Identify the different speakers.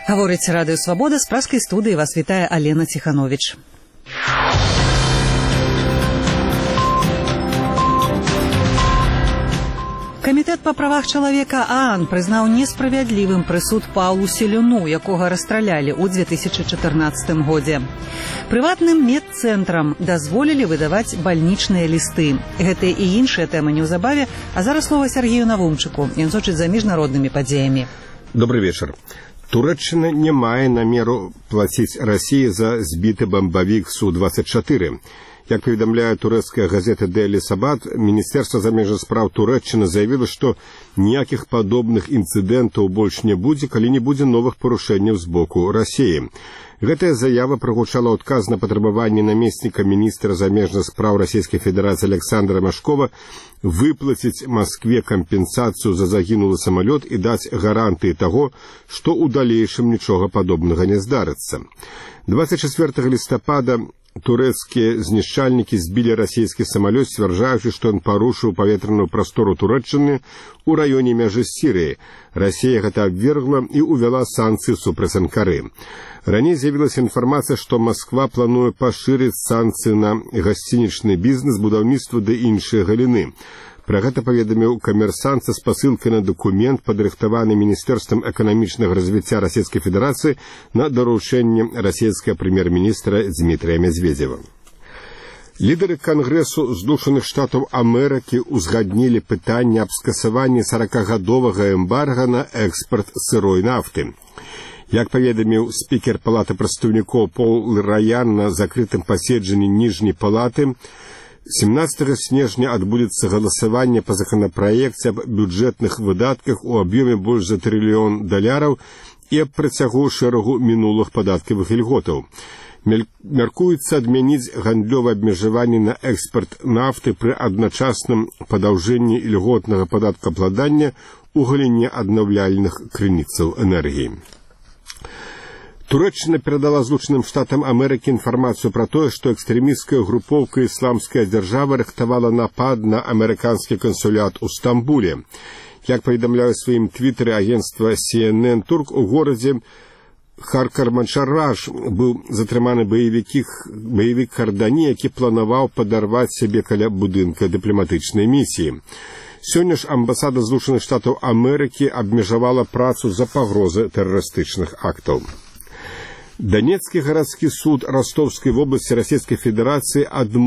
Speaker 1: Гаворыць Радыё Свабода, з праскай студыі вас вітае Алена Ціхановіч. Камітэт па правах чалавека ААН прызнаў несправядлівым прысуд Паўлу Селюну, якога расстралялі ў 2014 годзе. Прыватным медцэнтрам дазволілі выдаваць бальнічныя лісты. Гэтыя і іншыя тэмы неўзабаве, а зараз слова Сергею Навумчыку. Ён сочыць за міжнароднымі падзеямі.
Speaker 2: Добрый вечер. Туреччына не мае намеру плаціць Расіі за збіты бамбавік Су-24. Як паведамляе турэцкая газета Daily Sabbath, Міністэрства замежных спраў Турэччыны заявіла, што ніякіх падобных інцыдэнтаў больш не будзе, калі не будзе новых парушэнняў з боку Расіі. Гэтая заява прагучала ў адказ на патрабаванне намесніка міністра замежных спраў Расійскай Федэрацыі Александра Машкова выплаціць Маскве кампенсацыю за загінулы самалёт і даць гарантыі таго, што ў далейшым нічога падобнага не здарыцца. 24 лістапада турэцкія знішчальнікі збілі расійскі самалёт, сцвярджаючы, што ён парушыў паветраную прастору Турэччыны ў раёне мяжы з Сірыяй. Расія гэта абвергла і ўвяла санкцыі супраць Анкары. Раней з'явілася інфармацыя, што Масква плануе пашырыць санкцыі на гасцінічны бізнес, будаўніцтва ды іншыя галіны. Пра гэта паведаміў камерсант са спасылкай на дакумент, падрыхтаваны Міністэрствам эканамічнага развіцця Расійскай Федэрацыі на даручэнне расійскага прэм'ер-міністра Дмітрія Медведзева. Лідары Кангрэсу Злучаных Штатаў Амерыкі ўзгаднілі пытанне аб скасаванні 40-гадовага эмбарга на экспарт сырой нафты. Як паведаміў спікер Палаты прадстаўнікоў Пол Раян на закрытым паседжанні ніжняй палаты, 17 снежня адбудзецца галасаванне па законапраекце аб бюджэтных выдатках у аб'ёме больш за $1 трыльён і аб працягу шэрагу мінулых падаткавых ільготаў. Мяркуецца адмяніць гандлёвае абмежаванне на экспарт нафты пры адначасным падаўжэнні ільготнага падаткаабкладання ў галіне аднаўляльных крыніцаў энергіі. Турэччына перадала Злучаным Штатам Амерыкі інфармацыю пра тое, што экстрэмісцкая групоўка «Ісламская дзяржава» рыхтавала напад на амерыканскі кансулят у Стамбуле. Як паведамляе ў сваім твітары агенцтва CNN Турк, у горадзе Харкарманшараж быў затрыманы баевік Кардані, які планаваў падарваць сябе каля будынка дыпламатычнай місіі. Сёння ж амбасада Злучаных Штатаў Амерыкі абмежавала працу за пагрозы тэрарыстычных актаў. Донецкі гарадскі суд Ростовскай вобласці Расійскай Федэрацыі адмовіў